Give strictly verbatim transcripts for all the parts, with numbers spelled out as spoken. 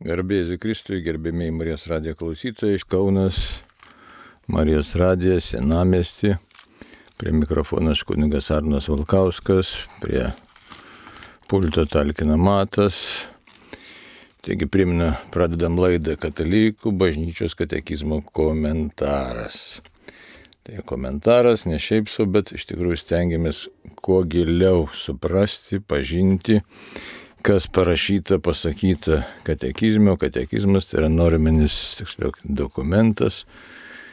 Garbėsiu Kristui, gerbėmiai Marijos radijo klausytojai, iš Kaunas, Marijos radijas, Senamiesty. Prie mikrofono kunigas Arnas Valkauskas, prie pulto talkina Matas. Taigi primenu, pradedam laidą Katalikų bažnyčios katekizmo komentaras. Tai komentaras ne šiaip sau, bet iš tikrųjų stengiamės kuo giliau suprasti, pažinti, kas parašyta, pasakyta katekizme. Katekizmas tai yra norminis, tiksliau, dokumentas,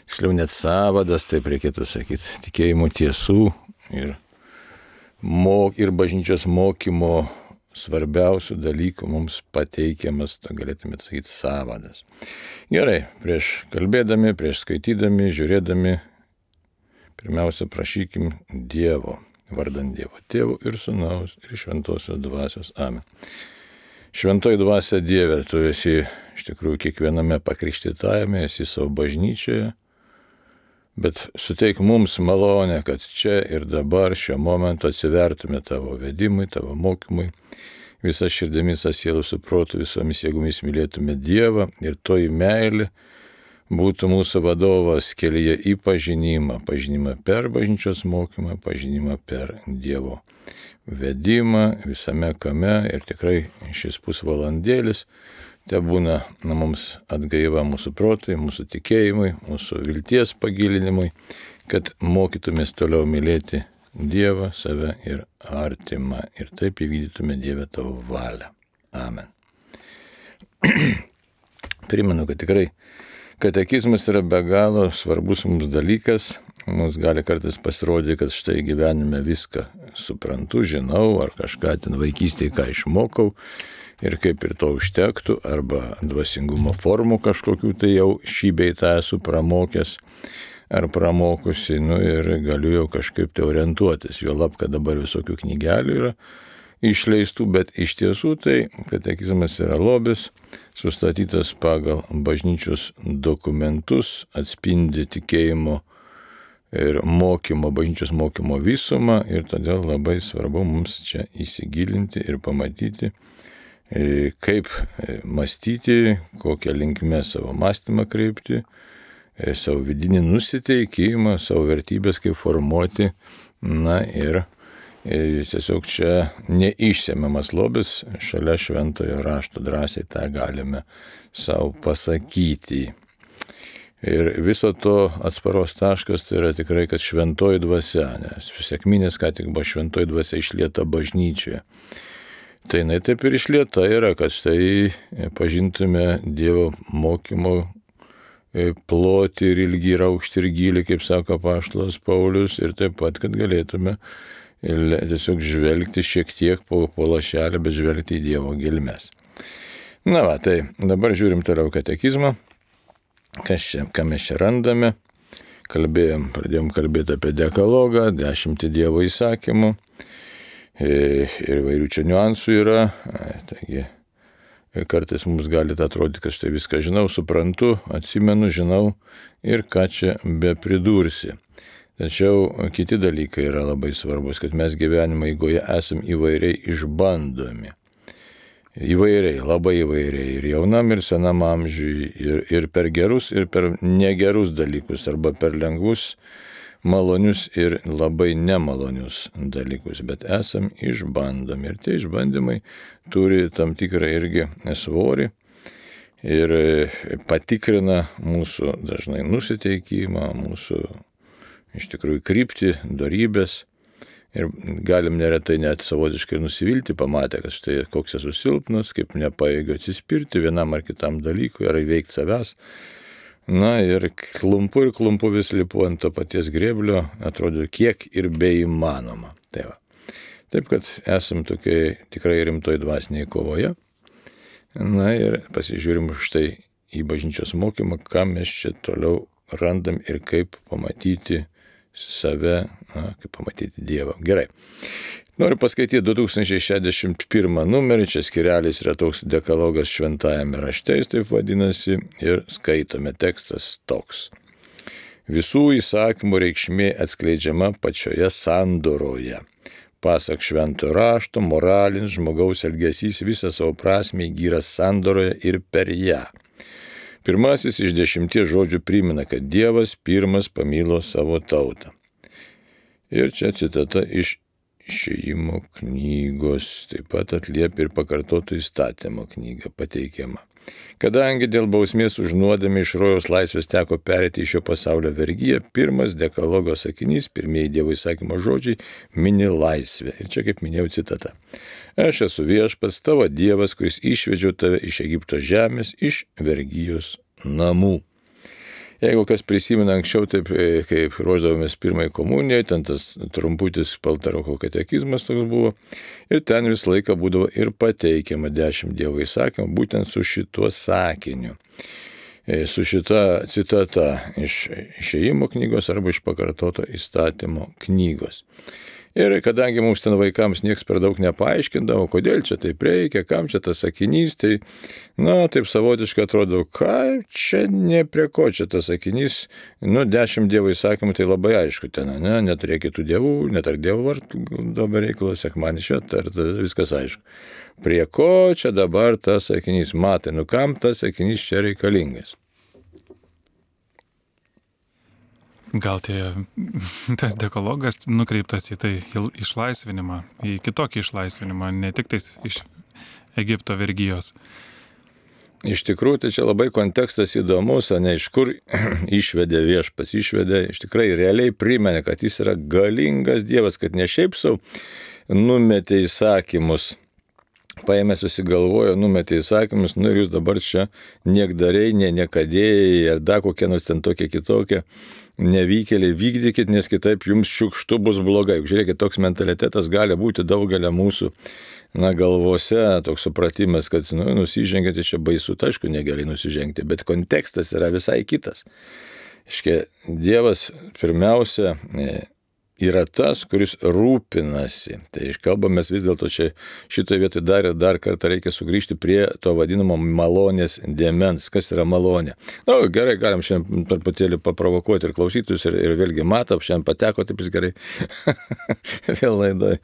tiksliau net sąvadas, taip reikėtų sakyti, tikėjimo tiesų ir, mok, ir bažnyčios mokymo svarbiausių dalykų mums pateikiamas, galėtume sakyti, sąvadas. Gerai, prieš kalbėdami, prieš skaitydami, žiūrėdami, pirmiausia prašykim Dievo. Vardant Dievo Tėvo ir Sūnaus ir Šventosios Dvasios. Amen. Šventoji Dvasia Dieve, tu esi iš tikrųjų kiekviename pakrikštytajame, esi savo bažnyčioje, bet suteik mums malonę, kad čia ir dabar šiuo momentu atsivertume tavo vedimui, tavo mokymui, visą širdimi, visą sielą su protu, visomis jėgomis mylėtume Dievą ir toji meilė būtų mūsų vadovas kelyje į pažinimą, pažinimą per bažnyčios mokymą, pažinimą per Dievo vedimą visame kame ir tikrai šis pusvalandėlis te būna na, mums atgaiva mūsų protui, mūsų tikėjimui, mūsų vilties pagilinimui, kad mokytumės toliau mylėti Dievą, save ir artimą ir taip įvykdytume Dievę tavo valią. Amen. Primenu, kad tikrai katekizmas yra be galo svarbus mums dalykas. Mums gali kartais pasirodyti, kad štai gyvenime viską suprantu, žinau, ar kažką ten vaikystėje ką išmokau ir kaip ir to užtektų, arba dvasingumo formų kažkokių tai jau šį bei tą esu pramokęs ar pramokusi, nu ir galiu jau kažkaip tai orientuotis. Juolab, kad dabar visokių knygelių yra išleistų, bet iš tiesų tai katekizmas yra lobis, sustatytas pagal bažnyčios dokumentus, atspindi tikėjimo ir mokymo, bažnyčios mokymo visumą ir todėl labai svarbu mums čia įsigilinti ir pamatyti, kaip mąstyti, kokią linkmę savo mąstymą kreipti, savo vidinį nusiteikimą, savo vertybės kaip formuoti, na ir tiesiog čia neišsemiamas lobis, šalia šventojo rašto drąsiai tą galime savo pasakyti. Ir viso to atsparos taškas tai yra tikrai, kad šventoji dvasia, nes sekminės ką tik buvo šventoji dvasia išlieta bažnyčioje. Tai jinai taip ir išlieta yra, kad štai pažintume Dievo mokymo plotį ir ilgį ir aukštį ir gylį, kaip sako apaštalas Paulius, ir taip pat, kad galėtume ir tiesiog žvelgti šiek tiek po, po lašelį, bet žvelgti į Dievo gelmes. Na va, tai dabar žiūrim toliau katekizmą, kas čia, ką mes čia randame. Kalbėjom, pradėjom kalbėti apie dekalogą, dešimtį Dievo įsakymų ir vairių čia niuansų yra. Taigi, kartais mums gali atrodyti, kad štai viską žinau, suprantu, atsimenu, žinau ir ką čia be pridursi. Tačiau kiti dalykai yra labai svarbus, kad mes gyvenimo eigoje esam įvairiai išbandomi. Įvairiai, labai įvairiai, ir jaunam, ir senam amžiui, ir, ir per gerus, ir per negerus dalykus, arba per lengvus, malonius ir labai nemalonius dalykus, bet esam išbandomi. Ir tie išbandymai turi tam tikrą irgi svorį ir patikrina mūsų dažnai nusiteikimą, mūsų iš tikrųjų kryptį, dorybės ir galim neretai net savotiškai nusivilti, pamatę, kad štai koks esu silpnas, kaip nepajėgiu atsispirti vienam ar kitam dalykui, ar įveikti savęs. Na ir klumpu ir klumpu vis lipu ant to paties grėblio, atrodo kiek ir beįmanoma. Tai va. Taip, kad esam tokiai tikrai rimtoj dvasiniai kovoje. Na ir pasižiūrim štai į bažnyčios mokymą, ką mes čia toliau randam ir kaip pamatyti save, na, kaip pamatyti Dievą. Gerai. Noriu paskaityti du tūkstančiai šešiasdešimt pirmą numerį, čia skirelis yra toks dekalogas šventajame rašte, jis taip vadinasi, ir skaitome tekstas toks. Visų įsakymų reikšmė atskleidžiama pačioje sandoroje. Pasak šventojo rašto, moralinis žmogaus elgesys visą savo prasmę įgyja sandoroje ir per ją. Pirmasis iš dešimties žodžių primena, kad Dievas pirmas pamilo savo tautą. Ir čia citata iš Išėjimo knygos, taip pat atliepia ir pakartoto įstatymo knygą pateikiama. Kadangi dėl bausmės už nuodėmę iš rojaus laisvės teko pereiti iš šio pasaulio vergiją, pirmas dekalogo sakinys, pirmieji Dievo įsakymo žodžiai mini laisvę. Ir čia, kaip minėjau, citata. Aš esu viešpats, tavo Dievas, kuris išvedžiau tave iš Egipto žemės, iš vergijos namų. Jeigu kas prisimena anksčiau, taip kaip ruoždavomės pirmai komunijai, ten tas trumputis Paltaroko katekizmas toks buvo, ir ten visą laiką būdavo ir pateikiama dešimt Dievo įsakymų, būtent su šituo sakiniu, su šita citata iš Išėjimo knygos arba iš pakartoto įstatymo knygos. Ir kadangi mums ten vaikams nieks per daug nepaaiškindavo, kodėl čia taip reikia, kam čia tas sakinys, tai, na, taip savotiškai atrodo, ką čia ne prie ko čia tas sakinys, nu, dešimt Dievo įsakymų, tai labai aišku ten, ne, neturėk kitų dievų, netark dievų vardų, dabar reikalo, sekmanį šventą, viskas aišku. Prie ko čia dabar tas sakinys, matai, nu, kam tas sakinys čia reikalingas? Gal tie, tas dekalogas nukreiptas į tai išlaisvinimą, į kitokį išlaisvinimą, ne tik tais iš Egipto vergijos. Iš tikrųjų, tai čia labai kontekstas įdomus, o ne iš kur išvedė viešpas, išvedė, iš tikrai realiai primenė, kad jis yra galingas Dievas, kad ne šiaip sau numetė įsakymus, paėmė susigalvojo, numetė įsakymus, nu ir jūs dabar čia niekdariai, ne niekadėjai, ar dar kokie nors ten tokie kitokie nevykėliai, vykdykit, nes kitaip jums šiukštu bus blogai. Žiūrėkit, toks mentalitetas gali būti daugelio mūsų na, galvose, toks supratimas, kad nu, nusižengėte čia baisu, tai aišku, negerai nusižengti, bet kontekstas yra visai kitas. Iškia, Dievas pirmiausia yra tas, kuris rūpinasi. Tai kalbamės vis dėlto čia šitoje vietoje dar ir dar kartą reikia sugrįžti prie to vadinamo malonės dėmens. Kas yra malonė? Na, nu, gerai, galim šiandien truputėlį paprovokuoti ir klausytus ir, ir vėlgi matom, šiandien pateko taip jis gerai. Vėl laidai.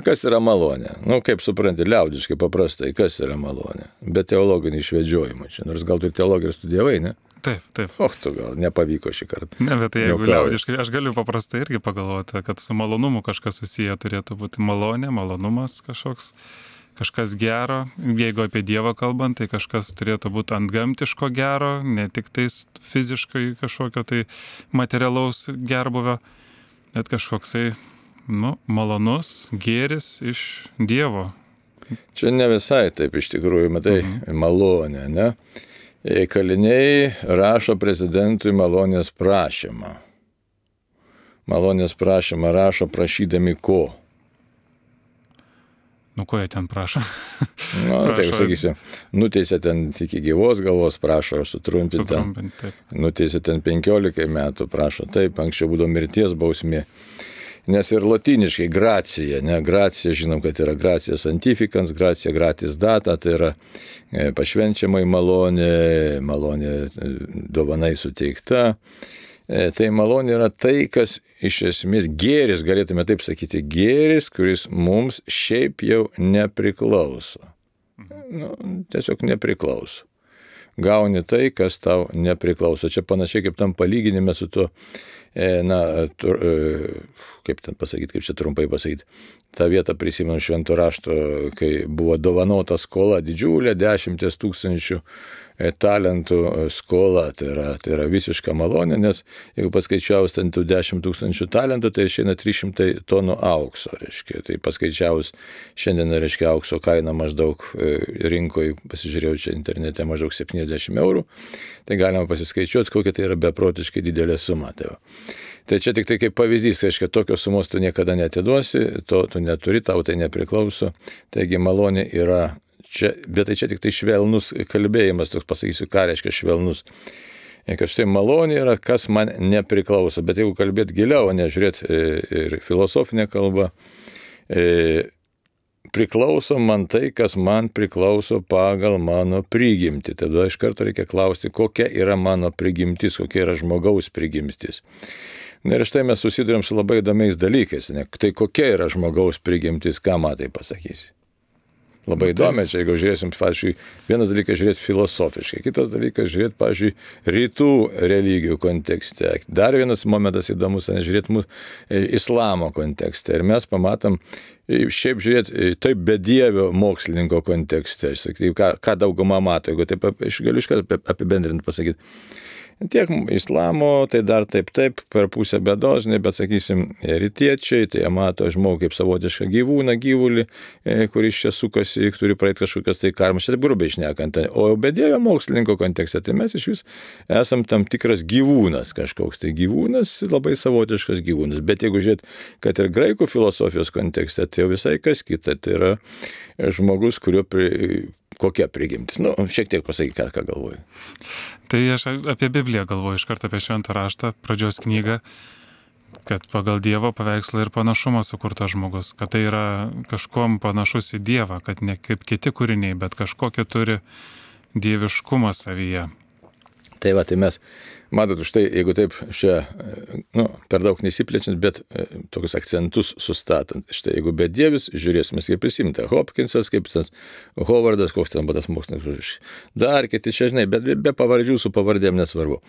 Kas yra malonė? Nu, kaip supranti, liaudiškai paprastai, kas yra malonė? Be teologinį išvedžiojimą čia. Nors gal tu teologiją studijavai, ne? Taip, taip. O, tu gal nepavyko šį kartą. Ne, bet tai jeigu liaudiškai, aš galiu paprastai irgi pagalvoti, kad su malonumu kažkas susiję turėtų būti malonė, malonumas kažkoks, kažkas gero. Jeigu apie Dievą kalbant, tai kažkas turėtų būti antgamtiško gero, ne tik tais fiziškai kažkokio tai materialaus gerbuvio, bet kažkoksai, nu, malonus gėris iš Dievo. Čia ne visai taip iš tikrųjų, matai, mhm. malonė, ne? Kaliniai rašo prezidentui malonės prašymą. Malonės prašymą rašo prašydami ko? Nu, ko jie ten prašo? Na, nu, tai sakysi, nuteisė ten iki gyvos galvos, prašo sutrumpinti. Sutrumpinti, taip. Nuteisė ten penkiolikai metų, prašo taip, anksčiau būdavo mirties bausmė. Nes ir lotyniškai gracija, ne, gracija, žinom, kad yra gracija santifikans, gracija gratis data, tai yra pašvenčiamai malonė, malonė dovanai suteikta. Tai malonė yra tai, kas iš esmės gėris, galėtume taip sakyti, gėris, kuris mums šiaip jau nepriklauso. Nu, tiesiog nepriklauso. Gauni tai, kas tau nepriklauso. Čia panašiai kaip tam palyginime su tuo, na, tur, kaip ten pasakyti, kaip čia trumpai pasakyti, tą vietą prisimenu švento rašto, kai buvo dovanota skola didžiulė, dešimties tūkstančių talentų skola, tai yra, tai yra visiška malonė, nes jeigu paskaičiavus ten tų dešimt tūkstančių talentų, tai išeina trys šimtai tonų aukso, reiškia. Tai paskaičiavus šiandien, reiškia, aukso kaina maždaug rinkoje, pasižiūrėjau čia internete, maždaug septyniasdešimt eurų, tai galima pasiskaičiuoti, kokia tai yra beprotiškai didelė suma. Tai, tai čia tik tai kaip pavyzdys, tai reiškia, tokios sumos tu niekada netiduosi, to tu neturi, tau tai nepriklauso, taigi malonė yra čia, bet tai čia tik tai švelnus kalbėjimas, toks pasakysiu, ką reiškia švelnus. Kad štai malonė yra, kas man nepriklauso, bet jeigu kalbėt giliau, nežiūrėt ir filosofinę kalbą, priklauso man tai, kas man priklauso pagal mano prigimtį. Tada iš karto reikia klausti, kokia yra mano prigimtis, kokia yra žmogaus prigimtis. Na ir štai mes susidurėm su labai įdomiais dalykais. Ne? Tai kokia yra žmogaus prigimtis, ką matai pasakysi? Labai įdomi, čia jeigu žiūrėsim, pavyzdžiui, vienas dalykas žiūrėti filosofiškai, kitas dalykas žiūrėti, pavyzdžiui, rytų religijų kontekste. Dar vienas momentas įdomus, ne, žiūrėti mūsų islamo kontekste. Ir mes pamatom, šiaip žiūrėti, taip bedievio mokslininko kontekste, aš sakyčiau, ką, ką dauguma mato, jeigu taip, aš galiu iškart apibendrinti pasakyti. Tiek islamo, tai dar taip taip, per pusę bėdos, bet sakysim, rytiečiai, tai jie mato žmogų kaip savotišką gyvūną, gyvulį, kuris čia sukasi, turi praeiti kažkokias tai karmas, čia grubiai šnekant. O bedievio mokslininko kontekste, tai mes iš vis esam tam tikras gyvūnas kažkoks, tai gyvūnas, labai savotiškas gyvūnas. Bet jeigu žiūrėt, kad ir graikų filosofijos kontekste, tai jau visai kas kita, tai yra žmogus, kurio pri... kokia prigimtis. Nu, šiek tiek pasakyk, ką, ką galvoju. Tai aš apie Bibliją galvoju, iš karto apie Šventą raštą, pradžios knygą, kad pagal Dievo paveikslą ir panašumą sukurtas žmogus, kad tai yra kažkuom panašus į Dievą, kad ne kaip kiti kūriniai, bet kažkokį turi dieviškumą savyje. Tai va, tai mes, matot, štai, jeigu taip čia, nu, per daug nesiplečiant, bet e, tokius akcentus sustatant. Štai, jeigu bedievis, žiūrėsime, kaip prisimta, Hopkinsas, kaip tas Hovardas, koks ten buvo tas mokslininkas, dar kiti čia, žinai, bet be, be pavardžių su pavardėm nesvarbu.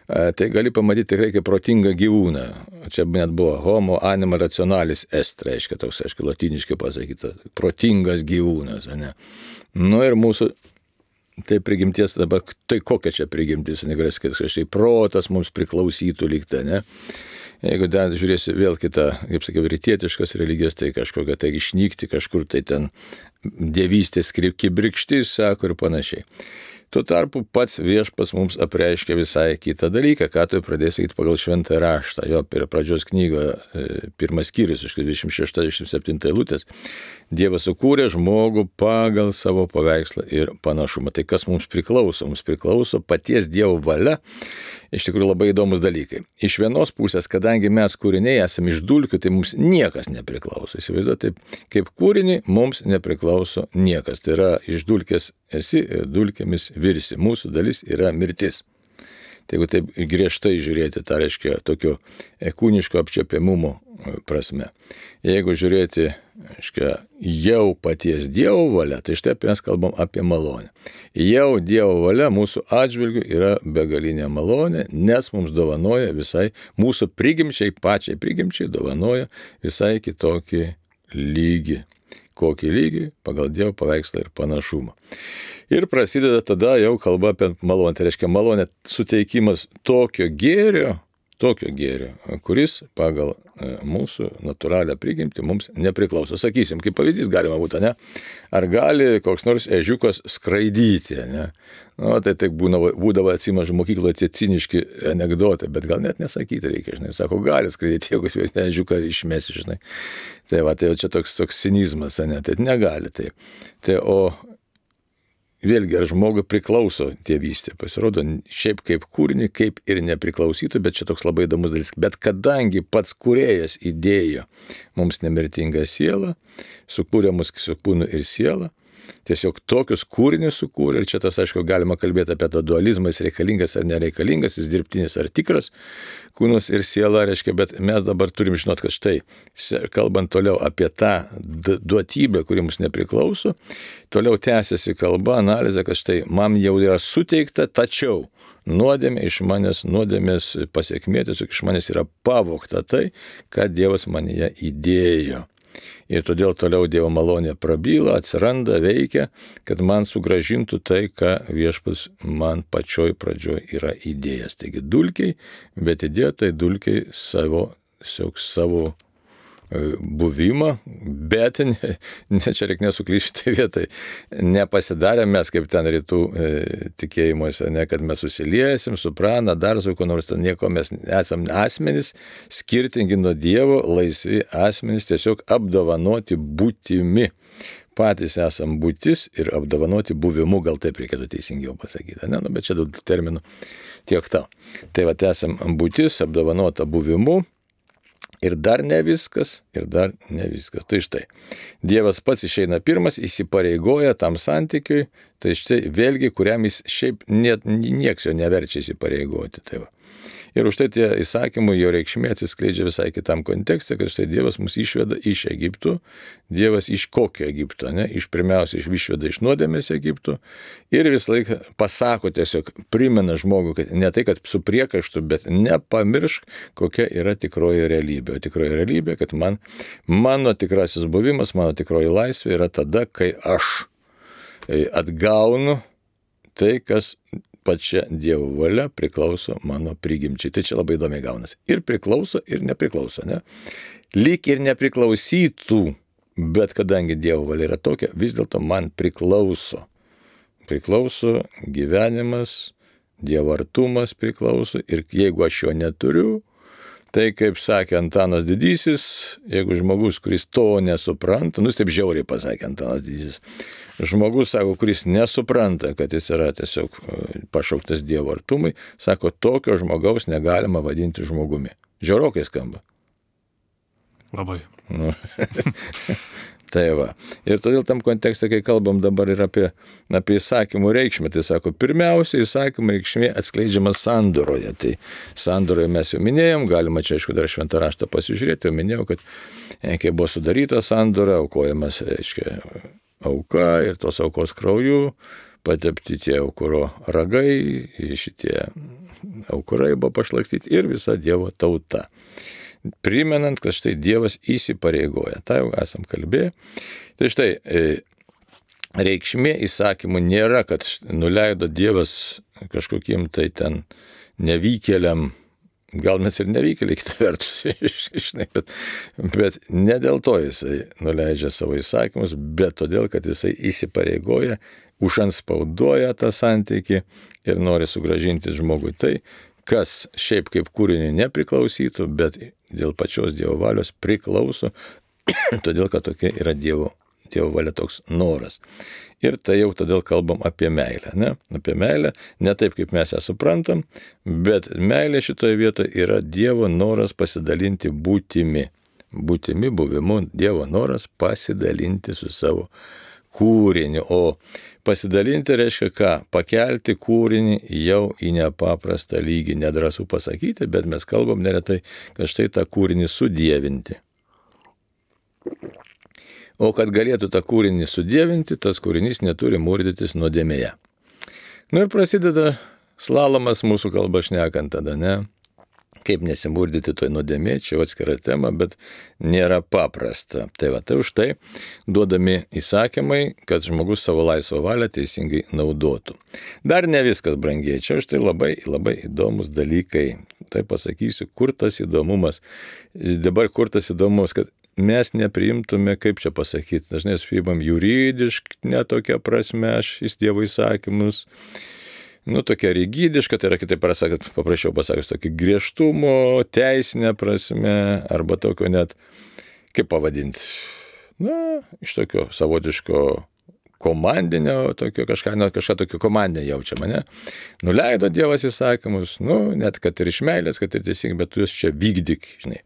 E, tai gali pamatyti tikrai kaip protingą gyvūną. Čia net buvo homo anima rationalis est, reiškia toks, aiškiai, latiniškai pasakyta, protingas gyvūnas, ne? Nu ir mūsų tai prigimties dabar, tai kokia čia prigimtis, negalės, kad kažkaip protas mums priklausytų lygta, ne? Jeigu dar žiūrėsi vėl kitą, kaip sakiau, rytietiškas religijas, tai kažkokia tai išnykti kažkur, tai ten dievystės kibirkštis, sako ir panašiai. Tuo tarpu pats viešpas mums apreiškia visai kitą dalyką, ką tu pradėsi sakyti pagal Šventą raštą. Jo per pradžios knygoje pirmas skyrius, iš dvidešimt šešta dvidešimt septinta eilutės. Dievas sukūrė žmogų pagal savo paveikslą ir panašumą. Tai kas mums priklauso? Mums priklauso paties Dievo valia. Iš tikrųjų labai įdomus dalykai. Iš vienos pusės, kadangi mes kūriniai esame iš dulkių, tai mums niekas nepriklauso. Įsivaizduoju, taip, kaip kūrinį mums nepriklauso niekas. Tai yra iš dulkės esi ir dulkėmis virsi. Mūsų dalis yra mirtis. Tai jeigu taip griežtai žiūrėti, tai reiškia tokio kūniško apčiuopiamumo prasme. Jeigu žiūrėti, reiškia, jau paties Dievo valia, tai štai mes kalbam apie malonę. Jau Dievo valia mūsų atžvilgių yra begalinė malonė, nes mums dovanoja visai, mūsų prigimčiai, pačiai prigimčiai dovanoja visai kitokį lygį. Kokį lygį pagal Dievo paveikslą ir panašumą. Ir prasideda tada jau kalba apie malonę. Tai reiškia malonė suteikimas tokio gėrio, tokio gėrio, kuris pagal mūsų natūralią prigimtį mums nepriklauso. Sakysim, kaip pavyzdys galima būtų, ne? Ar gali koks nors ežiukas skraidyti, ne? Nu, tai taip būdavo, būdavo atsimažu mokykloje tie ciniški anekdotai, bet gal net nesakyti reikia, žinai. Sako, gali skraidyti, jeigu ežiuką išmesi, žinai. Tai va, tai čia toks, toks cinizmas, ne? Tai negali taip. Tai o vėlgi, ar žmogui priklauso tėvystė? Pasirodo, šiaip kaip kūrinį, kaip ir nepriklausytų, bet čia toks labai įdomus dalykas. Bet kadangi pats kūrėjas įdėjo mums nemirtingą sielą, sukūrė mus su kūnu ir sielą, tiesiog tokius kūrinius sukūrė, ir čia tas, aišku, galima kalbėti apie tą dualizmą, jis reikalingas ar nereikalingas, jis dirbtinis ar tikras, kūnas ir siela, reiškia, bet mes dabar turim žinot, kad štai, kalbant toliau apie tą duotybę, kuri mums nepriklauso, toliau tęsiasi kalba, analizė, kad štai, man jau yra suteikta, tačiau nuodėmė iš manęs, nuodėmės pasiekmė, tiesiog iš manęs yra pavogta tai, ką Dievas manyje įdėjo. Ir todėl toliau Dievo malonė prabyla, atsiranda, veikia, kad man sugražintų tai, ką viešpats man pačioj pradžioj yra įdėjęs. Taigi dulkiai, bet įdėjo tai dulkiai savo, savo buvimą, bet ne, ne čia reikia nesuklysti šitą vietą. Nepasidarėm mes kaip ten rytų e, tikėjimuose, ne, kad mes susiliesim, suprana, dar su kuo nors ten nieko, mes esam asmenys, skirtingi nuo Dievo, laisvi asmenys, tiesiog apdovanoti būtimi. Patys esam būtis ir apdovanoti buvimu, gal taip reikėtų teisingiau pasakyti, ne, nu, bet čia daug terminų tiek tau. Tai va, esam būtis, apdovanota buvimu. Ir dar ne viskas, ir dar ne viskas. Tai štai, Dievas pats išeina pirmas, įsipareigoja tam santykiui, tai štai vėlgi, kuriam jis šiaip net, nieks jo neverčia įsipareigoti. Tai va. Ir už tai tie įsakymai, jo reikšmė atsiskleidžia visai kitam kontekste, kad štai Dievas mus išveda iš Egipto, Dievas iš kokio Egipto, ne? Iš pirmiausia išveda iš nuodėmės Egipto ir visą laiką pasako tiesiog, primena žmogų, kad ne tai, kad su priekaištu, bet nepamiršk, kokia yra tikroji realybė. O tikroji realybė, kad man, mano tikrasis buvimas, mano tikroji laisvė yra tada, kai aš atgaunu tai, kas pačia Dievo valia priklauso mano prigimčiai. Tai čia labai įdomiai gaunasi. Ir priklauso, ir nepriklauso, ne? Lyg ir nepriklausytų, bet kadangi Dievo valia yra tokia, vis dėlto man priklauso. Priklauso gyvenimas, Dievo artumas priklauso ir jeigu aš jo neturiu, tai kaip sakė Antanas Didysis, jeigu žmogus, kuris to nesupranta, nu taip žiauriai pasakė Antanas Didysis, žmogus, sako, kuris nesupranta, kad jis yra tiesiog pašauktas Dievo artumui, sako, tokio žmogaus negalima vadinti žmogumi. Žiaurokai skamba. Labai. Nu, tai va. Ir todėl tam kontekste, kai kalbam dabar ir apie, apie įsakymų reikšmę, tai sako, pirmiausia, įsakymų reikšmė atskleidžiama sandoroje. Tai sandoroje mes jau minėjom, galima čia, aišku, dar šventą raštą pasižiūrėti, jau minėjau, kad kai buvo sudaryta sandora, aukojamas, aiškiai, auka ir tos aukos krauju, patepti tie aukuro ragai, šitie aukurai buvo pašlakstyti ir visa Dievo tauta. Primenant, kad štai Dievas įsipareigoja. Tai jau esam kalbėję. Tai štai reikšmė įsakymų nėra, kad nuleido Dievas kažkokiem tai ten nevykėliam, gal mes ir nevykėliai kitą vertus, žinai, bet, bet ne dėl to jisai nuleidžia savo įsakymus, bet todėl, kad jisai įsipareigoja, užanspaudoja tą santykį ir nori sugrąžinti žmogui tai, kas šiaip kaip kūrinį nepriklausytų, bet dėl pačios Dievo valios priklauso, todėl, kad tokia yra Dievo, Dievo valia, toks noras. Ir tai jau todėl kalbam apie meilę, ne? Apie meilę, ne taip, kaip mes ją suprantam, bet meilė šitoje vietoje yra Dievo noras pasidalinti būtimi. Būtimi, buvimu, Dievo noras pasidalinti su savo kūriniu. O pasidalinti reiškia ką? Pakelti kūrinį jau į nepaprastą lygį. Nedrąsu pasakyti, bet mes kalbam neretai, kad štai tą kūrinį sudievinti. O kad galėtų tą kūrinį sudievinti, tas kūrinys neturi murdytis nuodėmėje. Nu ir prasideda slalomas mūsų kalba šnekant tada, ne? Kaip nesimurdyti toj nuodėmė, čia atskira tema, bet nėra paprasta. Tai va, tai už tai duodami įsakymai, kad žmogus savo laisvą valią teisingai naudotų. Dar ne viskas, brangiai, čia už tai labai, labai įdomus dalykai. Tai pasakysiu, kur tas įdomumas. Dabar kur tas įdomumas, kad mes nepriimtume, kaip čia pasakyti, dažnai priimam juridiškai, netokia prasme, šis Dievo įsakymus. Nu, tokia rigidiška, tai yra kitaip pasakant, paprašiau pasakius, tokį griežtumo, teisinę prasme, arba tokio net, kaip pavadinti, na, iš tokio savotiško komandinio, tokio kažką, net kažką tokio komandinio jaučiama, ne? Nuleido Dievas įsakymus, nu, net kad ir iš meilės, kad ir teisingai, bet tu juos čia vykdyk, žinai.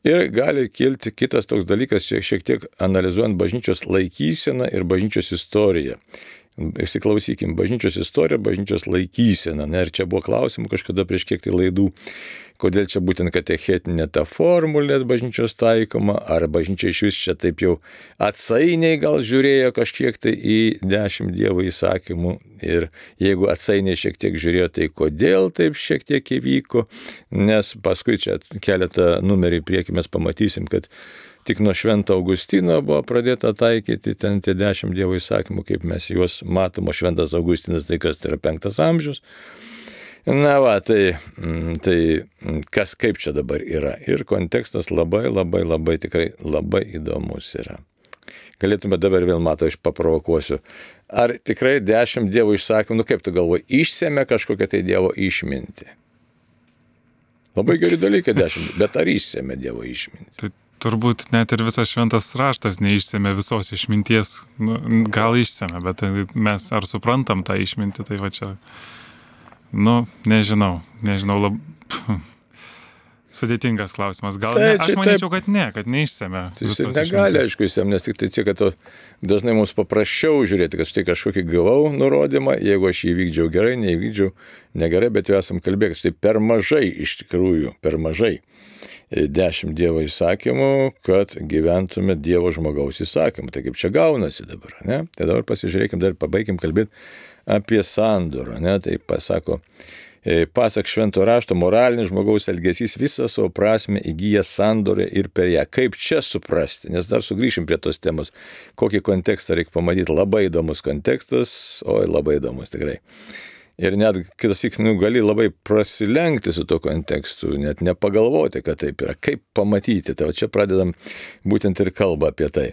Ir gali kilti kitas toks dalykas, šiek, šiek tiek analizuojant bažnyčios laikyseną ir bažnyčios istoriją. Išsiklausykim, bažnyčios istorija, bažnyčios laikysena. Ne? Ir čia buvo klausimų kažkada prieš kiek tai laidų, kodėl čia būtent katechetinė ta formulė bažnyčios taikoma, ar bažnyčia iš vis čia taip jau atsainiai gal žiūrėjo kažkiek tai į dešimt Dievo įsakymų. Ir jeigu atsainiai šiek tiek žiūrėjo, tai kodėl taip šiek tiek įvyko, nes paskui čia keletą numerį į priekį mes pamatysim, kad tik nuo Švento Augustino buvo pradėta taikyti ten tie dešimt Dievo įsakymų, kaip mes juos matom, o Šventas Augustinas tai kas, tai yra penktas amžius. Na va, tai, tai kas kaip čia dabar yra. Ir kontekstas labai, labai, labai tikrai labai įdomus yra. Galėtume dabar vėl, matau, aš paprovokuosiu. Ar tikrai dešimt Dievo įsakymų, nu kaip tu galvoji, išsėmė kažkokią tai Dievo išmintį? Labai geri dalykai dešimt, bet ar išsėmė Dievo išmintį? Tai turbūt net ir visas šventas raštas neišsėmė visos išminties. Nu, gal išsėmė, bet mes ar suprantam tą išmintį, tai va čia, nu, nežinau, nežinau, lab... Sudėtingas klausimas. Gal Tai ne? čia Aš manyčiau, taip. kad ne, kad neišsemia. Tai jis negali, aišku, jis nes tik tai čia, kad to dažnai mums paprasčiau žiūrėti, kad štai kažkokį gavau nurodymą, jeigu aš jį vykdžiau gerai, neįvykdžiau negerai, bet jau esam kalbėję, kad štai per mažai iš tikrųjų, per mažai dešimt Dievo įsakymų, kad gyventume Dievo žmogaus įsakymų. Tai kaip čia gaunasi dabar, ne? Tai dabar pasižiūrėkim, dar pabaigim kalbėti apie sandorą, ne? Tai pasako, pasak švento rašto, moralinis žmogaus elgesys visą savo prasme įgyja sandorę ir per ją. Kaip čia suprasti? Nes dar sugrįšim prie tos temos. Kokį kontekstą reikia pamatyti? Labai įdomus kontekstas, oi labai įdomus tikrai. Ir net kitas įk, nu, gali labai prasilenkti su to kontekstu, net nepagalvoti, kad taip yra. Kaip pamatyti? Tai čia pradedam būtent ir kalbą apie tai.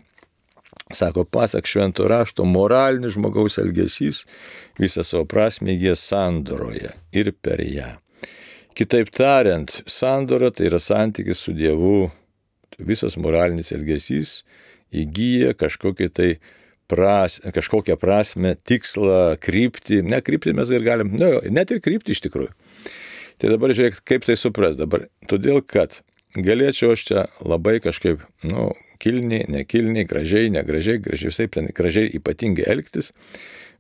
Sako, pasak švento rašto, moralinis žmogaus elgesys visą savo prasmę įgyja sandoroje ir per ją. Kitaip tariant, sandora tai yra santykis su Dievu. Visas moralinis elgesys įgyja kažkokį tai pras, kažkokią prasme, tikslą, kryptį. Ne kryptį mes ir galim, ne, net ir kryptį iš tikrųjų. Tai dabar žiūrėk, kaip tai supras dabar. Todėl, kad galėčiau aš čia labai kažkaip, nu, kilniai, nekilniai, gražiai, negražiai, gražiai, visai ten gražiai ypatingai elgtis,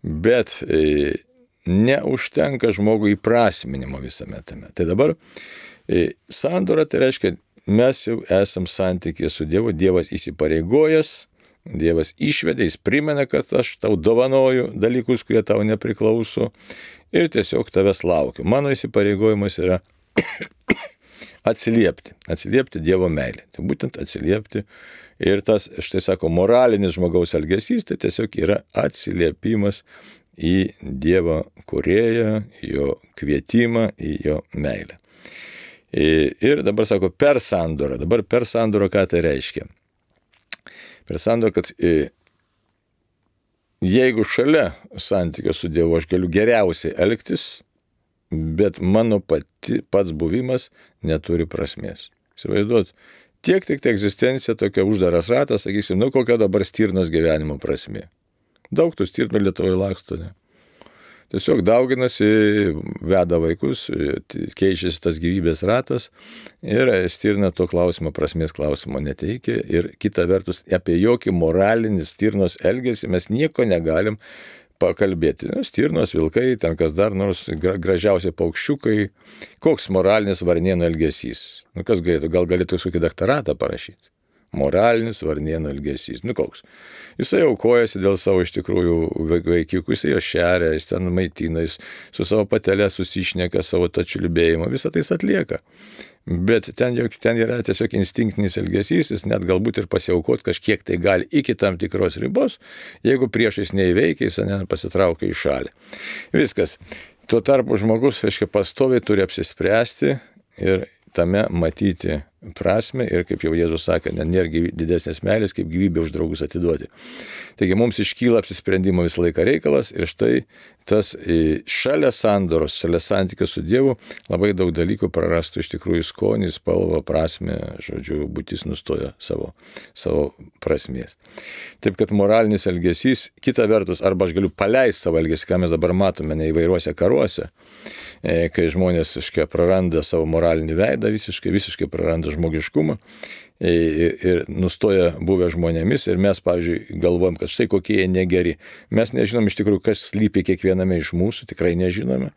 bet e, neužtenka žmogui įprasminimo visame tame. Tai dabar e, sandora tai reiškia, mes jau esam santykėje su Dievu, Dievas įsipareigojęs, Dievas išvedė, jis primena, kad aš tau dovanoju dalykus, kurie tau nepriklauso ir tiesiog tavęs laukiu. Mano įsipareigojimas yra atsiliepti, atsiliepti Dievo meilę. Tai būtent atsiliepti. Ir tas, štai sako, moralinis žmogaus elgesys, tai tiesiog yra atsiliepimas į Dievo kūrėją, jo kvietimą, į jo meilę. Ir dabar sako, per sandorą. Dabar per sandorą ką tai reiškia? Per sandorą, kad jeigu šalia santykio su Dievu aš galiu geriausiai elgtis, bet mano pati, pats buvimas neturi prasmės. Įsivaizduot, tiek tik tai egzistencija tokia uždaras ratas, sakysim, nu kokia dabar stirnos gyvenimo prasmė. Daug tų stirnų Lietuvoje laksto, ne? Tiesiog dauginasi, veda vaikus, keičiasi tas gyvybės ratas ir stirna to klausimo, prasmės klausimo neteikia. Ir kita vertus, apie jokį moralinį stirnos elgesį mes nieko negalim pakalbėti. Stirnos, vilkai, ten kas dar nors, gražiausiai paukščiukai. Koks moralinis varnėno elgesys? Nu, kas galėtų? Gal galėtų kokį daktaratą parašyti? Moralinis varnėno elgesys. Nu, koks? Jisai aukojasi dėl savo iš tikrųjų vaikiukų, jisai jo šeria, jis ten maitina, jis su savo patelė susišneka savo tą čiulbėjimą, visą tai jis atlieka. Bet ten, ten yra tiesiog instinktinis elgesys, jis net galbūt ir pasiaukot kažkiek tai gali iki tam tikros ribos, jeigu priešais neįveikia, jis ne, pasitraukia į šalį. Viskas. Tuo tarpu žmogus, aiškiai, pastoviai turi apsispręsti ir tame matyti prasme ir, kaip jau Jėzus sakė, nėra didesnės meilės, kaip gyvybę už draugus atiduoti. Taigi mums iškyla apsisprendimo visą laiką reikalas ir štai tas šalia sandoros, šalia santykio su Dievu labai daug dalykų prarastų iš tikrųjų skonį, spalvą, prasmę, žodžiu, būtis nustoja savo, savo prasmės. Taip kad moralinis elgesys, kita vertus, arba aš galiu paleisti savo elgesį, ką mes dabar matome ne įvairiuose karuose, kai žmonės iškai praranda savo moralinį veidą, visiškai, visiškai praranda žmogiškumą ir nustoja buvę žmonėmis ir mes, pavyzdžiui, galvojam, kad štai kokie jie negeri. Mes nežinom iš tikrųjų, kas slypi kiekviename iš mūsų, tikrai nežinome.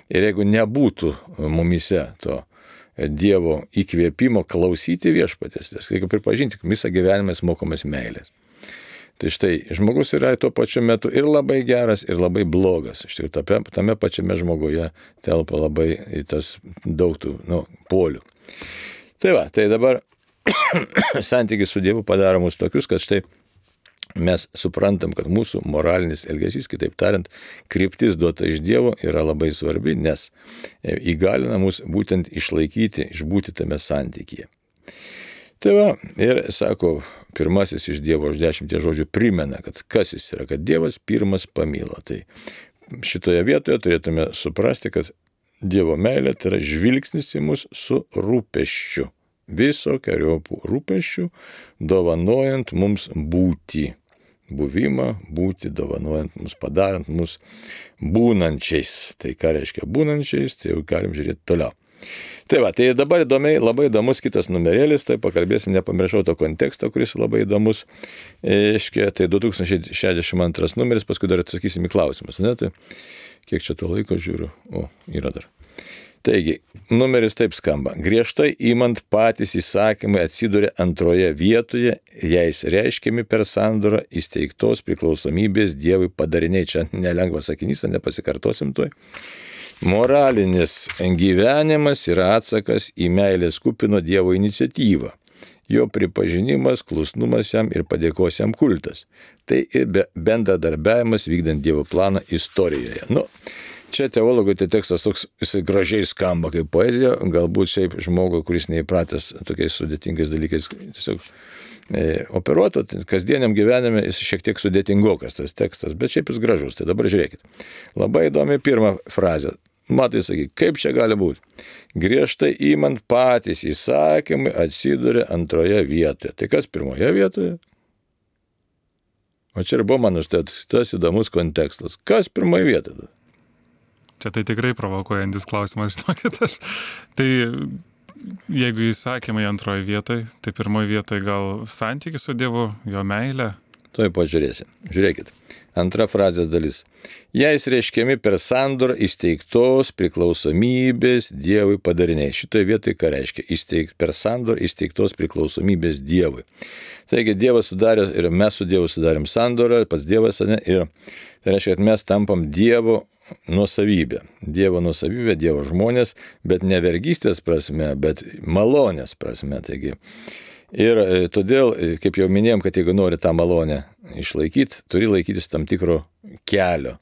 Ir jeigu nebūtų mumise to Dievo įkvėpimo klausyti viešpatės, reikia pripažinti, kad visą gyvenimą mes mokomės meilės. Tai štai, žmogus yra tuo pačiu metu ir labai geras, ir labai blogas. Iš tikrųjų, tame pačiame žmoguje telpa labai tas daug tų, nu, polių. Tai va, tai dabar santykis su Dievu padaro mus tokius, kad štai mes suprantam, kad mūsų moralinis elgesys, kitaip tariant, kryptis duota iš Dievo yra labai svarbi, nes įgalina mus būtent išlaikyti, išbūti tame santykyje. Tai va, ir sako, pirmasis iš Dievo už dešimties žodžių primena, kad kas jis yra, kad Dievas pirmas pamilo. Tai šitoje vietoje turėtume suprasti, kad Dievo meilė tai yra žvilgsnis į mus su rūpesčiu. Visokeriopų rūpesčių, dovanojant mums būti. Buvimą, būti, dovanojant mums, padarant mus būnančiais. Tai ką reiškia būnančiais, tai jau galim žiūrėti toliau. Tai va, tai dabar įdomiai, labai įdomus kitas numerėlis, tai pakalbėsim, nepamiršau to konteksto, kuris labai įdomus. Iškia, tai du tūkstančiai šešiasdešimt antras numeris, paskui dar atsakysim į klausimus, ne? Tai kiek čia to laiko žiūriu? O, yra dar. Taigi, numeris taip skamba. Griežtai įmant patys įsakymai atsiduria antroje vietoje, jais reiškiami per sandorą įsteigtos priklausomybės Dievui padariniai. Čia nelengvas sakinys, nepasikartosim toj. Moralinis gyvenimas yra atsakas į meilės kupino Dievo iniciatyvą. Jo pripažinimas, klusnumas jam ir padėkos jam kultas. Tai ir bendradarbiavimas vykdant Dievo planą istorijoje. Nu, čia teologui tai tekstas toks, jisai gražiai skamba kaip poezija, galbūt šiaip žmogui, kuris neįpratęs tokiais sudėtingais dalykais tiesiog e, operuotų, kasdieniam gyvenime jis šiek tiek sudėtingokas tas tekstas, bet šiaip jis gražus. Tai dabar žiūrėkit. Labai įdomi pirma frazė. Matai, sakyk, kaip čia gali būti? Griežtai įmant patys įsakymai atsiduria antroje vietoje. Tai kas pirmoje vietoje? O čia ir buvo man užtat tas įdomus kontekstas. Kas pirmoje vietoje? Čia tai tikrai provokuojantis klausimas, žinokit aš. Tai jeigu įsakymai antroje vietoje, tai pirmoje vietoje gal santykis su Dievu, jo meilė. Tuoj pažiūrėsim. Žiūrėkit. Antra frazės dalis. Jais reiškiami per sandorą įsteigtos priklausomybės Dievui padariniai. Šitoje vietoje ką reiškia? Įsteig, per sandorą įsteigtos priklausomybės Dievui. Taigi Dievas sudarė ir mes su Dievu sudarėm sandorą, pats Dievas, ne, ir tai reiškia, kad mes tampam Dievo nuosavybė. Dievo nuosavybė, Dievo žmonės, bet ne vergystės prasme, bet malonės prasme. Taigi, ir todėl, kaip jau minėjom, kad jeigu nori tą malonę išlaikyti, turi laikytis tam tikro kelio,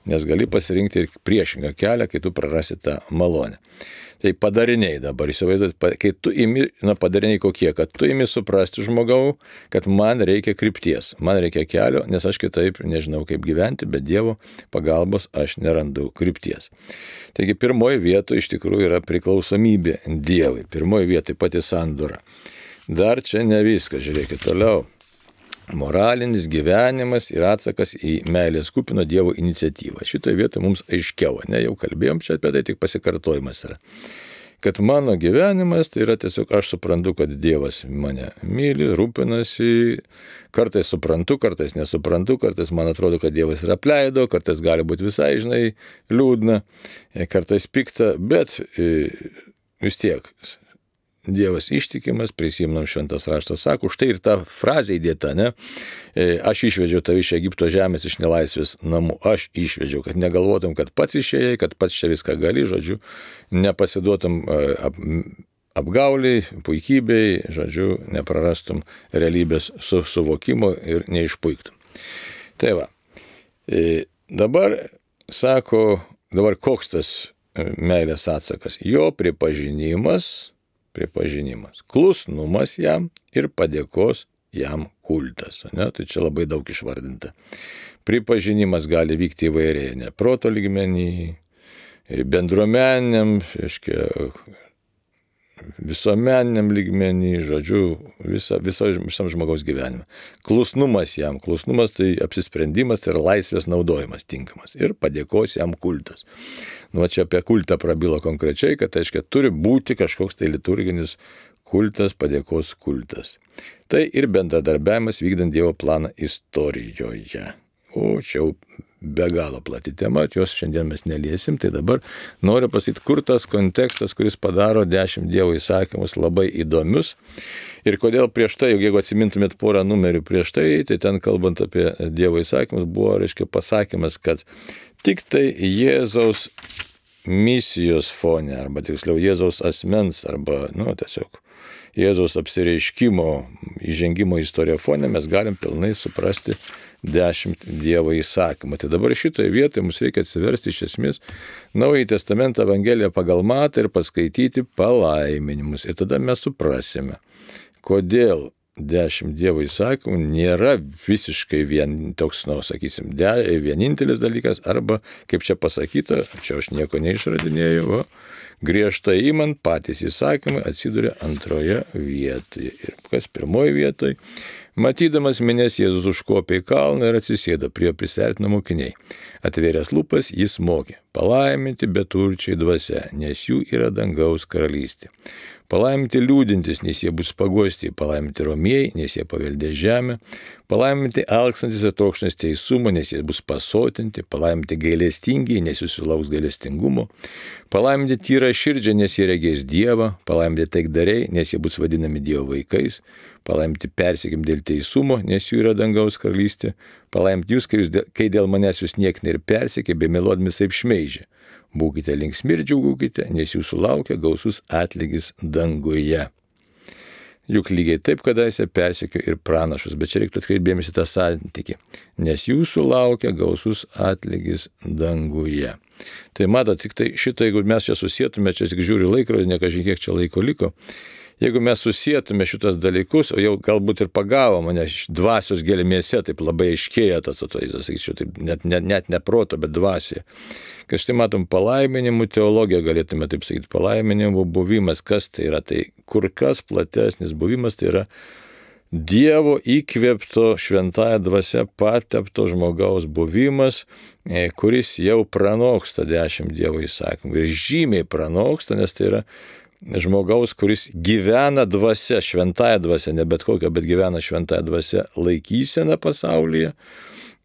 nes gali pasirinkti ir priešingą kelią, kai tu prarasi tą malonę. Tai padariniai dabar, įsivaizduot, kai tu imi, na padariniai kokie, kad tu imi suprasti žmogau, kad man reikia krypties, man reikia kelio, nes aš kitaip nežinau kaip gyventi, bet Dievo pagalbos aš nerandu krypties. Taigi pirmoji vietoje iš tikrųjų yra priklausomybė Dievui, pirmoji vietoje pati sandora. Dar čia ne viskas, žiūrėkit toliau. Moralinis gyvenimas yra atsakas į meilės kupino Dievo iniciatyvą. Šitoje vietoje mums aiškiau, ne, jau kalbėjom čia apie tai, tik pasikartojimas yra. Kad mano gyvenimas tai yra tiesiog aš suprantu, kad Dievas mane myli, rūpinasi, kartais suprantu, kartais nesuprantu, kartais man atrodo, kad Dievas yra apleido, kartais gali būti visai, žinai, liūdna, kartais pikta, bet vis tiek Dievas ištikimas, prisimnam šventas raštas, sako, štai ir ta frazė įdėta, ne? Aš išvedžiau tave iš Egipto žemės, iš nelaisvės namų, aš išvedžiau, kad negalvotum, kad pats išėjai, kad pats čia viską gali, žodžiu, nepasiduotum ap, apgauliai, puikybei, žodžiu, neprarastum realybės su, suvokimo ir neišpuiktum. Tai va, dabar sako, dabar koks tas meilės atsakas? Jo pripažinimas, pripažinimas, klusnumas jam ir padėkos jam kultas. Ne? Tai čia labai daug išvardinta. Pripažinimas gali vykti įvairiai, ne proto lygmenį, bendruomeniniam, reiškia, visuomeniniam lygmenį, žodžiu, visa, visa, visam žmogaus gyvenime. Klusnumas jam, klusnumas tai apsisprendimas ir laisvės naudojimas tinkamas. Ir padėkos jam kultas. Nu, va čia apie kultą prabilo konkrečiai, kad tai reiškia, turi būti kažkoks tai liturginis kultas, padėkos kultas. Tai ir bendradarbiavimas vykdant Dievo planą istorijoje. O čia jau be galo plati tema, jos šiandien mes neliesim, tai dabar noriu pasakyti, kur tas kontekstas, kuris padaro dešimt Dievo įsakymus labai įdomius ir kodėl prieš tai, jeigu atsimintumėt porą numerių prieš tai, tai ten kalbant apie Dievo įsakymus buvo, reiškia, pasakymas, kad tik tai Jėzaus misijos fone, arba tiksliau Jėzaus asmens, arba, nu, tiesiog Jėzaus apsireiškimo, įžengimo istoriją fone mes galim pilnai suprasti dešimt Dievo įsakymų. Tai dabar šitoje vietoje mums reikia atsiversti iš esmės Naująjį Testamentą Evangeliją pagal Matą ir paskaityti palaiminimus. Ir tada mes suprasime, kodėl dešimt Dievo įsakymų nėra visiškai vien toks, nu, sakysim, de, vienintelis dalykas, arba, kaip čia pasakyta, čia aš nieko neišradinėjau, o griežtai imant patys įsakymai atsiduria antroje vietoje. Ir kas pirmoje vietoje? Matydamas minės, Jėzus užkopė į kalną ir atsisėdo, prie prisertino mokiniai. Atvėręs lūpas, jis mokė: palaiminti beturčiai dvasia, nes jų yra dangaus karalystė. Palaiminti liūdintys, nes jie bus paguosti, palaiminti romieji, nes jie paveldės žemę, palaiminti alkstantis ir trokštantis teisumo, nes jie bus pasotinti, palaiminti gailestingi, nes jie sulauks gailestingumo, palaiminti tyra širdžiai, nes jie regės Dievą, palaiminti taikdariai, nes jie bus vadinami Dievo vaikais, palaiminti persekim dėl teisumo, nes jų yra dangaus karalystė, palaiminti jūs, kai, jūs, kai dėl manęs jūs niekina ir persekė, bei melodami taip šmeižė. Būkite linksmi ir džiaugukite, nes jūsų laukia gausus atlygis danguje. Juk lygiai taip kadaise persekio ir pranašus, bet čia reiktų atkreipdėmėsi tą santykį, nes jūsų laukia gausus atlygis danguje. Tai matot, tik tai šitą, jeigu mes čia susietume, čia tik žiūri laikrodį, ne kažin kiek čia laiko liko, jeigu mes susietume šitas dalykus, o jau galbūt ir pagavo mane dvasios gelmėse, taip labai aiškėja tas atvaizdas, sakyčiau, taip net, net, net ne proto, bet dvasioje. Kad štai matom palaiminimų teologiją, galėtume taip sakyti, palaiminimų buvimas, kas tai yra, tai kur kas platesnis buvimas, tai yra Dievo įkvėpto šventąja dvasia patepto žmogaus buvimas, kuris jau pranoksta dešimt Dievo įsakymų ir žymiai pranoksta, nes tai yra žmogaus, kuris gyvena dvasia, šventąja dvasia, ne bet kokia, bet gyvena šventąja dvasia laikysena pasaulyje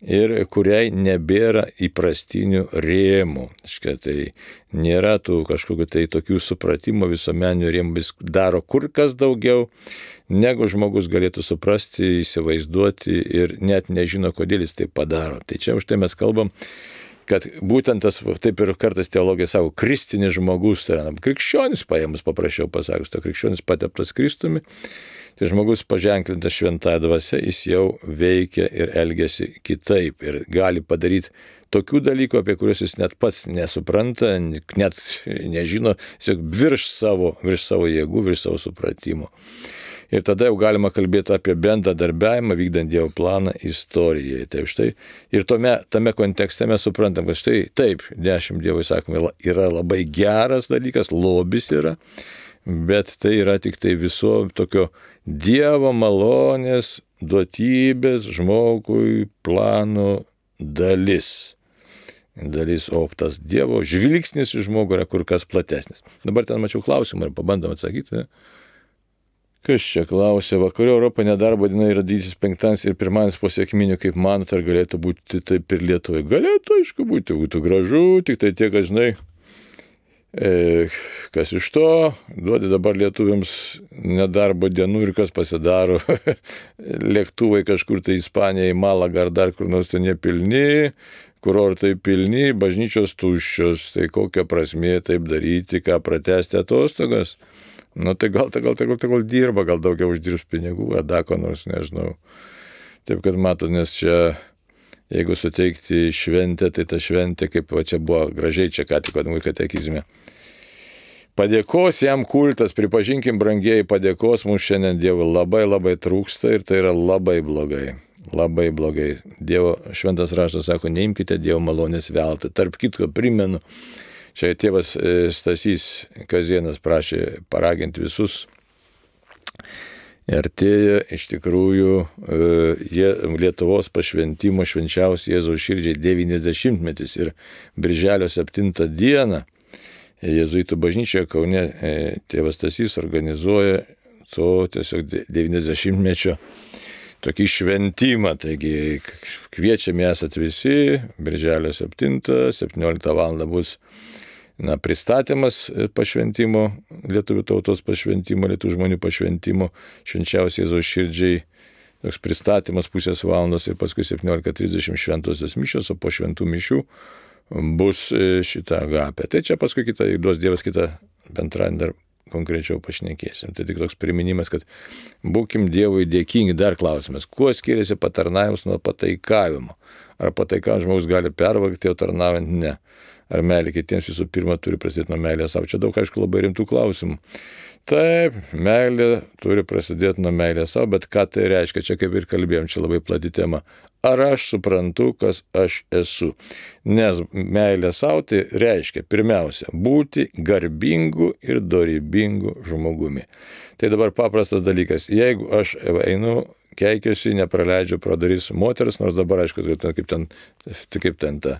ir kuriai nebėra įprastinių rėmų. Škia, tai nėra tų kažkokių tai tokių supratimo visuomeninių rėmų, vis daro kur kas daugiau, negu žmogus galėtų suprasti, įsivaizduoti ir net nežino, kodėl jis tai padaro. Tai čia už tai mes kalbam, kad būtent tas, taip ir kartais teologija savo, kristinis žmogus, tai yra krikščionis paėmus, paprašiau pasakus, ta krikščionis pateptas Kristumi, tai žmogus paženklintas šventąja dvasia, jis jau veikia ir elgiasi kitaip ir gali padaryti tokių dalykų, apie kuriuos jis net pats nesupranta, net nežino, tiesiog virš savo, virš savo jėgų, virš savo supratimo. Ir tada jau galima kalbėti apie bendradarbiavimą, vykdant Dievo planą istorijai. Tai štai, ir tome, tame kontekste mes suprantam, kad štai taip, dešimt Dievo įsakymų yra labai geras dalykas, lobis yra, bet tai yra tik tai viso tokio Dievo malonės, duotybės žmogui plano dalis. Dalis, o tas Dievo žvilgsnis į žmogų yra kur kas platesnis. Dabar ten mačiau klausimą ir pabandom atsakyti. Kas čia klausė, vakarų Europoje nedarbo diena yra didysis penktadienis ir pirmadienis po sekminių, kaip manot, ar galėtų būti taip ir Lietuvoje? Galėtų, aišku, būti, būtų gražu, tik tai tiek, kad žinai, e, kas iš to, duodi dabar lietuviams nedarbo dienų ir kas pasidaro, lėktuvai kažkur tai Ispanija, į Malagą ar dar kur nors ten nepilni, kurortai pilni, bažnyčios tuščios, tai kokia prasmė taip daryti, ką pratęsti atostogas? Nu tai gal, tai gal, tai gal, tai gal dirba, gal daugiau uždirbs pinigų, ar dar ko nors, nežinau. Taip kad matot, nes čia, jeigu suteikti šventę, tai ta šventė, kaip va čia buvo gražiai čia ką tik vadinamų katekizme. Padėkos jam kultas, pripažinkim brangieji, padėkos mums šiandien Dievui labai labai trūksta ir tai yra labai blogai. Labai blogai. Dievo šventas raštas sako, neimkite Dievo malonės veltui. Tarp kitko primenu, čia tėvas Stasys Kazienas prašė paraginti visus. Ir artėja iš tikrųjų Lietuvos pašventimo švenčiausiai Jėzaus širdžiai devyniasdešimtmetis ir birželio septintą dieną Jėzuitų bažnyčioje Kaune tėvas Stasys organizuoja to tiesiog devyniasdešimtmečio tokį šventimą, taigi kviečiami esat visi, birželio septintą, septynioliktą valandą bus na, pristatymas pašventimo, lietuvių tautos pašventimo, lietuvių žmonių pašventimo, švenčiausiai Jėzaus širdžiai, toks pristatymas pusės valandos ir paskui septyniolika trisdešimt šventosios mišios, o po šventų mišių bus šitą agapę. Tai čia paskui kitą, duos Dievas kitą penktadienį dar konkrečiau pašnekėsim. Tai tik toks priminimas, kad būkim Dievui dėkingi. Dar klausimas, kuo skiriasi patarnavimas nuo pataikavimo? Ar pataikavimas žmogus gali pervargti, o tarnaujant ne? ar meilė kitiems visų pirma turi prasidėti nuo meilės savo. Čia daug, aišku, labai rimtų klausimų. Taip, meilė turi prasidėti nuo meilės savo, bet ką tai reiškia, čia kaip ir kalbėjom, čia labai plati tema. Ar aš suprantu, kas aš esu? Nes meilė savo tai reiškia pirmiausia būti garbingu ir dorybingu žmogumi. Tai dabar paprastas dalykas. Jeigu aš einu, keikiuosi, nepraleidžiu pro duris moters, nors dabar aišku, kaip ten, kaip ten ta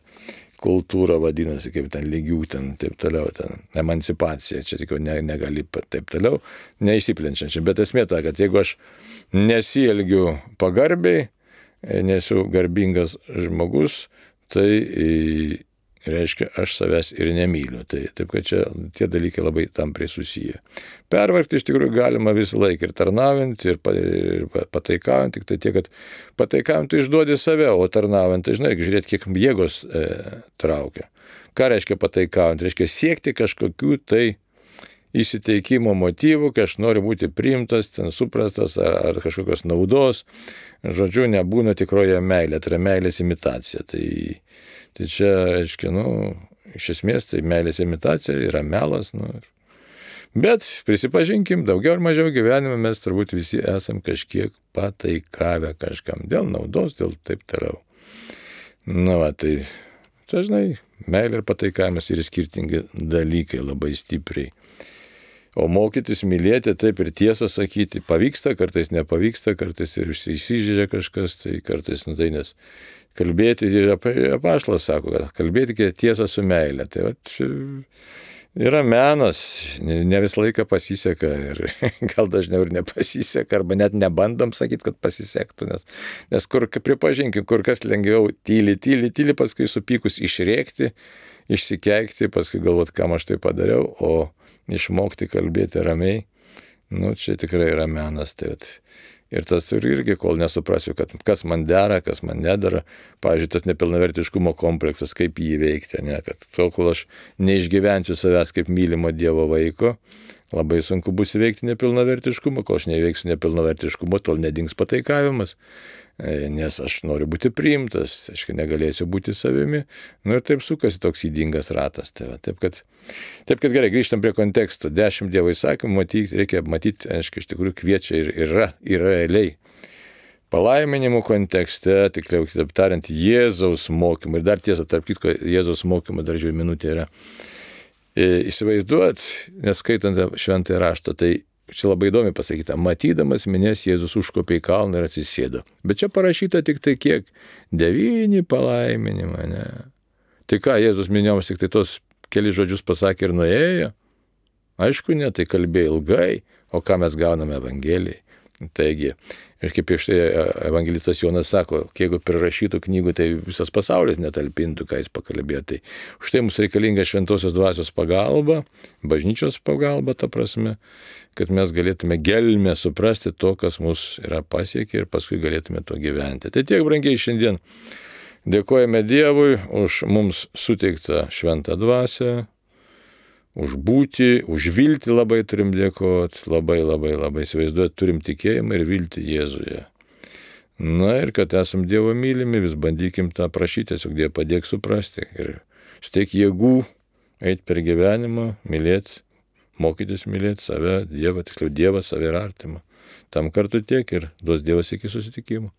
kultūra vadinasi, kaip ten lygių, ten taip toliau, ten emancipacija, čia tik ne, negali taip toliau, neišsiplenčiančiai. Bet esmė ta, kad jeigu aš nesielgiu pagarbiai, nesu garbingas žmogus, tai reiškia, aš savęs ir nemyliu. Tai taip, kad čia tie dalykai labai tampriai susiję. Pervargti iš tikrųjų galima visą laiką ir tarnaujant, ir pataikaujant, tik tai tiek, kad pataikaujant tai išduodi save, o tarnaujant, tai žinai, žiūrėti, kiek jėgos e, traukia. Ką reiškia pataikaujant? Reiškia siekti kažkokių tai įsiteikimo motyvų, kai aš noriu būti priimtas, ten suprastas ar, ar kažkokios naudos. Žodžiu, nebūna tikroje meilė, tai yra meilės imitacija. Tai, tai čia, reiškia, nu, iš esmės, tai meilės imitacija yra melas. Nu, bet prisipažinkim, daugiau ar mažiau gyvenime mes turbūt visi esam kažkiek pataikavę kažkam. Dėl naudos, dėl taip toliau. Na, va, tai čia, žinai, meilė ir pataikavimas yra skirtingi dalykai labai stipriai. O mokytis mylėti, taip ir tiesą sakyti, pavyksta, kartais nepavyksta, kartais ir įsižeidžia kažkas, tai kartais, nu tai nes kalbėti, apaštalas sako, kad kalbėti tiesą su meilė. Tai va, yra menas, ne visą laiką pasiseka ir gal dažniau ir nepasiseka, arba net nebandom sakyti, kad pasisektų, nes, nes kur, pripažinkim, kur kas lengviau tyli, tyli, tyli, paskui supykus išrėkti, išsikeikti, paskui galvoti, kam aš tai padariau, o išmokti kalbėti ramiai, nu čia tikrai yra menas. Tai vat. Ir tas irgi, kol nesuprasiu, kad kas man dera, kas man nedara, pavyzdžiui, tas nepilnavertiškumo kompleksas, kaip jį įveikti, ne, kad tol, kol aš neišgyvensiu savęs kaip mylimo Dievo vaiko, labai sunku bus įveikti nepilnavertiškumą, kol aš neįveiksiu nepilnavertiškumo, tol nedings pataikavimas. Nes aš noriu būti priimtas, aš negalėsiu būti savimi, nu ir taip sukasi toks ydingas ratas. Tai va, taip, kad, taip kad gerai, grįžtam prie konteksto, dešimt Dievo įsakymų, matyti, reikia matyti, aiškiai, iš tikrųjų kviečia ir yra, yra realiai. Palaiminimų kontekste, tikliau kitaip tariant, Jėzaus mokymai, ir dar tiesa, tarp kitko, Jėzaus mokymai dar žiūrėjau minutė yra. E, įsivaizduot, neskaitant šventąjį raštą, tai čia labai įdomi pasakyta, matydamas minės Jėzus užkopė į kalną ir atsisėdo. Bet čia parašyta tik tai kiek? Devyni palaiminimai, ne? Tai ką, Jėzus minėjomas tik tai tos keli žodžius pasakė ir nuėjo? Aišku, ne, tai kalbėjo ilgai, o ką mes gauname Evangelijai. Taigi, ir kaip iš tai evangelistas Jonas sako, jeigu prirašytų knygų, tai visas pasaulis netalpintų, ką jis pakalbėjo. Tai už tai mums reikalinga šventosios dvasios pagalba, bažnyčios pagalba, ta prasme, kad mes galėtume gelmę suprasti to, kas mus yra pasiekę ir paskui galėtume to gyventi. Tai tiek, brangiai, šiandien dėkojame Dievui už mums suteiktą šventą dvasią, už būti, už viltį labai turim dėkoti, labai, labai, labai įsivaizduoti, turim tikėjimą ir viltį Jėzuje. Na ir kad esam Dievo mylimi, vis bandykim tą prašyti, tiesiog Dieve padėk suprasti ir steik jėgų eiti per gyvenimą, mylėti, mokytis mylėti save, Dievą, tiksliau Dievą, save ir artimą. Tam kartu tiek ir duos Dievas iki susitikimo.